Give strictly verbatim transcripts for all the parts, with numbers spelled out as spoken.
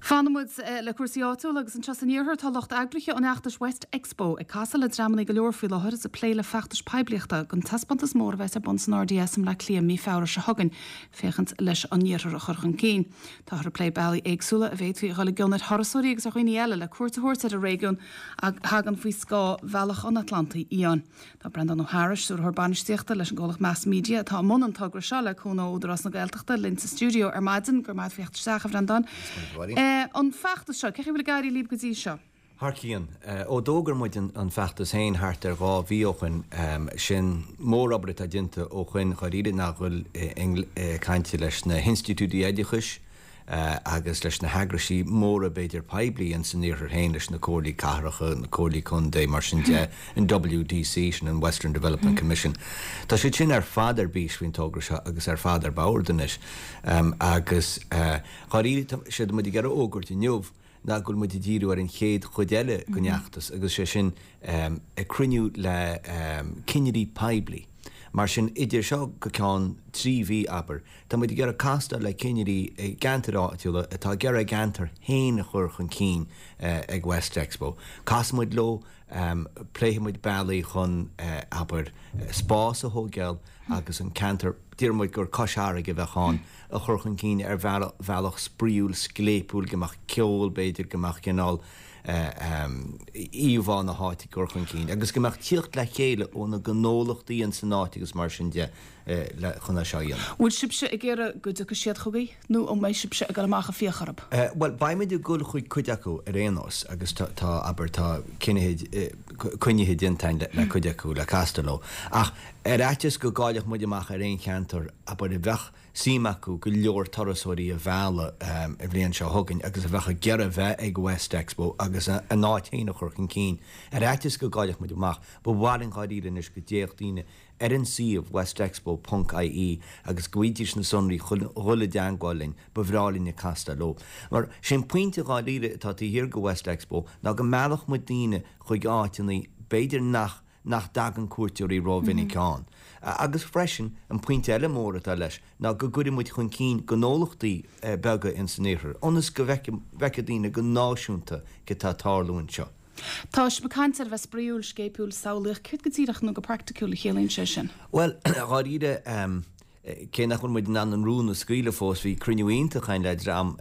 Fanfaidh muid le cúrsaí áitiúla agus anseo san iarthar tá lucht eagraithe an fheachtais West Expo ag casadh le dreamanna go leor faoi láthair is ag plé le feachtas poiblíochta don taispeántas mór a bheas ar bun san R D S i mBleá Cliath mí Feabhra seo chugainn, féachaint leis an iarthar a chur chun cinn. Táthar ag plé bealaí éagsúla a bhféadfaí a dhul i gcion ar thurasóirí agus ar dhaoine eile le cuairt a thabhairt ar an réigiún a thagann faoi scáth Bhealach an Atlantaigh Fhiáin. Tá Breandán Ó Heaghrais, stiúrthóir bainistíochta leis an gcomhlacht Mass Media atá i mbun an togra seo le cúnamh Údarás na Gaeltachta, linn sa stiúideo ar maidin. Go raibh maith agat isteach, a Bhreandáin. An feachtas seo, cén chaoi a bhfuil ag éirí libh go dtí seo? Thar cionn. Ó d'fhógair muid an feachtas féin thart ar dhá mhí ó shin, sin mórobair atá déanta ó shin dháiríre ná dhul ag caint leis na hinstitiúidí oideachais agus leis na heagraisí móra b'fhéidir poiblí in san iarthar féin, leis na comhairlí cathracha, na comhairlí contae, mar sin de, an W D C, sin an Western Development Commission. Tá siad sin ar fad ar bís faoin togra seo agus ar fad ar bord anois. Agus dháiríre sé muid ag iarraidh a fhógairt inniu ná go bhfuil muid ag díriú ar an chéad chuid eile den fheachtas agus sé sin ag cruinniú le cinnirí poiblí. Mar sin idir seo go ceann trí mhí, abair, tá muid ag iarraidh castáil le cinnirí i gceantair áitiúla atá ag iarraidh a gceantar féin a chur chun cinn ag West Expo. Casfaidh muid leo, pléifidh muid bealaí chun, abair, spás a thógáil agus an ceantar, deir muid gur Cois Fharraige a bheadh ann, a chur chun cinn ar bhealach spraíúil, scléipiúil, go mbeadh ceol, b'fhéidir, go mbeadh cineál íomhá na háite á cur chun cinn agus go mbeadh tíocht le chéile ó na gnólachtaí in san áit agus mar sin de le chun é seo a dhéanamh. Bhfuil sibhse ag iarraidh go dtiocfaidh siad chugaibh nó an mbeidh sibhse ag dul amach ag fiach orthu? Bhuel, beimid ag dul chuig cuid acu ar aon nós agus tá, abair, tá cinnithe coinnithe déanta le cuid acu le castáil leo. Ach ar fhaitíos go gcaillfeadh muid amach ar aon cheantar, abair, a bheadh suim acu go leor turasóirí a mhealladh an bhliain seo chugainn agus a bheadh ag iarraidh bheith ag West Expo agus a n-áit féin a chur chun cinn. Ar fhaitíos go gcaillfeadh muid amach, ba mhaith linn dháiríre anois go dtéadh daoine ar an suíomh westexpo ponc I E agus go bhfaighidís na sonraí chun dhul i dteagmháil linn, ba bhreá linn ag castáil leo. Mar sin pointe dháiríre atá taobh thiar de West Expo ná go meallfadh muid daoine chuig áiteanna b'fhéidir nach nach dtagann cuairteoirí rómhinic ann. Agus freisin an pointe eile mór atá leis ná go gcuirfidh muid chun cinn gnólachtaí beaga in san iarthar, ionas go bhfeicfidh daoine go náisiúnta cad tá ag tarlú anseo. Tá sibh ag caint ar a bheith spraíúil, scléipiúil, samhlaíoch, céard go díreach nó go praiticiúil a chiallaíonn sé sin? Bhuel, dháiríre, cé nach bhfuil muid in ann an rún a scaoileadh fós, bhí cruinniú iontach againn le dream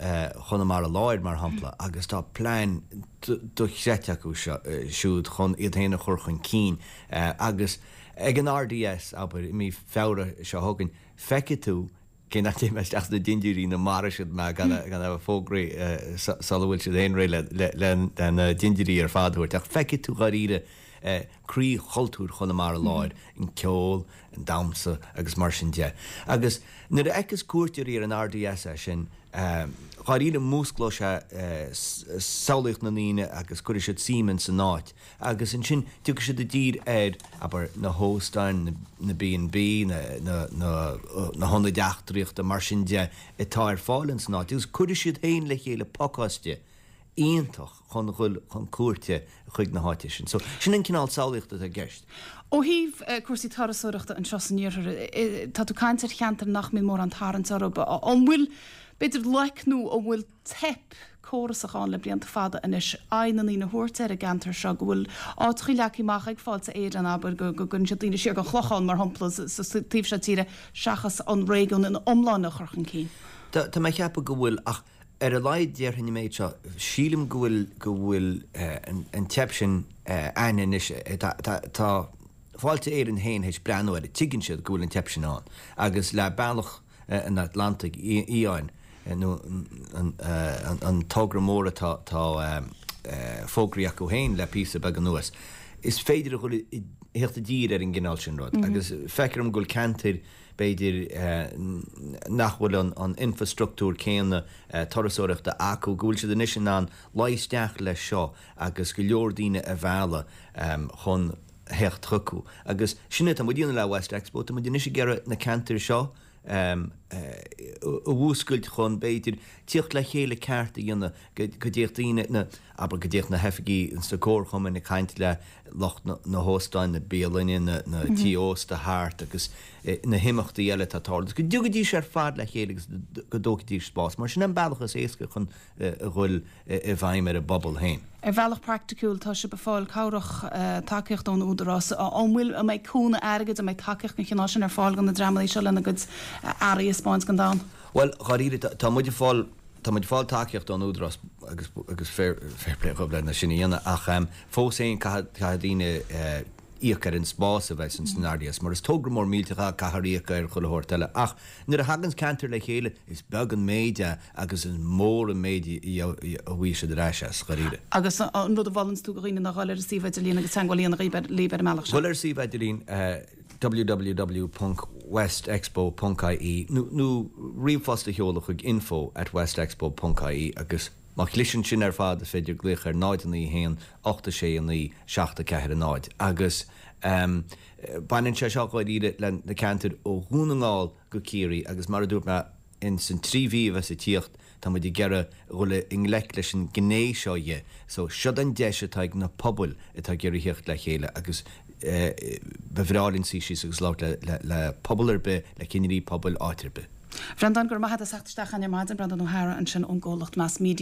Chonamara Láir mar shampla agus tá plean dochreidte acu siúd chun iad féin a chur chun cinn agus ag an R D S, abair, i mí Feabhra seo chugainn, feicfidh tú, cé nach dtéim isteach sna dintiúirí nó maróidh siad mé gan a bheith fógraí sula bhfuil siad féin réidh le na dintiúirí ar fad a thabhairt, ach feicfidh tú dháiríre croí chultúr Chonamara Láir, an ceol, an damhsa agus mar sin de. Agus nuair a fheiceas cuairteoirí ar an R D S é sin, dháiríre músclóidh sé samhlaíocht na ndaoine agus cuirfidh siad suim in san áit agus ansin tiocfaidh siad i dtír ar, abair, na hóstáin, na B and B, na na na hionaid eachtraíochta, mar sin de, atá ar fáil in san áit agus cuirfidh siad féin le chéile pacáiste iontach chun dhul chun cuairte chuig na háite sin. So sin an cineál samhlaíochta atá i gceist. Ó thaobh cúrsaí turasóireachta anseo san iarthar, tá tú ag caint ar cheantar nach mbíonn mórán tarraingt orthu. An bhfuil, b'fhéidir, loic nó an bhfuil teip córasach ann le blianta fada anois aghaidh na ndaoine a thabhairt ar an gceantar seo, go bhfuil áiteachaí leagtha amach ag Fáilte Éireann, abair, go gcuireann siad daoine siar go Clochán mar shampla sa taobh seo tíre seachas an réigiún ina iomláine a chur chun cinn? Tá mé ag ceapadh go bhfuil, ach ar a laghad déarfainn an méid seo, sílim go bhfuil go bhfuil an teip sin ann anois. Tá Fáilte Éireann féin théis breathnú air, tuigeann siad go bhfuil an teip sin ann agus le Bealach an Atlantaigh Fhiáin nó an togra mór atá fógraithe acu féin le píosa beag anuas, is féidir a dhul i theacht i dtír ar an gcineál sin rud agus feictear dom go bhfuil ceantair b'fhéidir nach bhfuil an infrastruchtúr céanna turasóireachta acu, go bhfuil siad anois in ann luí isteach leis seo agus go leor daoine a mhealladh chun theacht chucu. Agus sin atá muid ag déanamh le West Expo, tá muid anois ag iarraidh na ceantair seo a mhúscailt chun b'fhéidir tíocht le chéile ceart a dhéanamh go dtéadh daoine na, abair go dtéadh na hoifigí ins na comharchumainn ag caint le lucht na hóstáin, na bialainne, na na tí ósta thart agus na himeachtaí eile atá ag tarlú, go dtiocfaidís ar fad le chéile agus go dtógfaidís spás, mar sin an bealach is éasca chun a dhul i bhfeidhm ar an bpobal féin. Ar bhealach praiticiúil, tá sibh ag fáil cabhrach, tacaíocht ón Údarás. An bhfuil, an mbeidh cúnamh airgid, an mbeidh tacaíocht den chineál sin ar fáil do na dreamanna seo lena gcuid earraí a 'spáint don domhan? Bhuel, dháiríre, tá muid ag fáil, tá muid ag fáil tacaíocht ón Údarás agus, agus fair, fair play dhóibh lena sin a dhéanamh ach fós féin caithfidh, caithfidh daoine íoc ar an spás a bheas ins an RDS mar is togra mór millteach é, caithfear íoc ar chuile shórt eile ach nuair a thaganns ceantar le chéile is beag an méid é agus is mór an méid a bhfaighidh siad ar ais as, dháiríre. Agus an rud a mholanns tú do dhaoine ná dhul ar an suíomh idirlín agus teagmháil a dhéanamh libh ar an mbealach sin? Dhul ar an suíomh idirlín www ponc westexpo ponc ie nó nó ríomhphost a sheoladh chuig info at westexpo ponc ie agus má chliseann sin ar fad is féidir glaoch ar náid a naoi a haon ocht a sé a naoi seacht a ceathair a náid agus baineann sé seo dháiríre le na ceantair ó Dhún na nGall go Ciarraí agus mar a dúirt mé ins an trí mhí a bheas ag tíocht tá muid ag iarraidh dhul i ngleic leis an gné seo dhe so siod an deis atá ag na pobail atá ag iarraidh thíocht le chéile agus ba bhreá linn suí síos agus labhairt le le pobal ar bith, le cinnirí pobail áit ar bith. Bhreandáin, go raibh maith agat as theacht isteach chugainn ar maidin, Breandán Ó hEára ansin ón gcomhlacht Mass Media.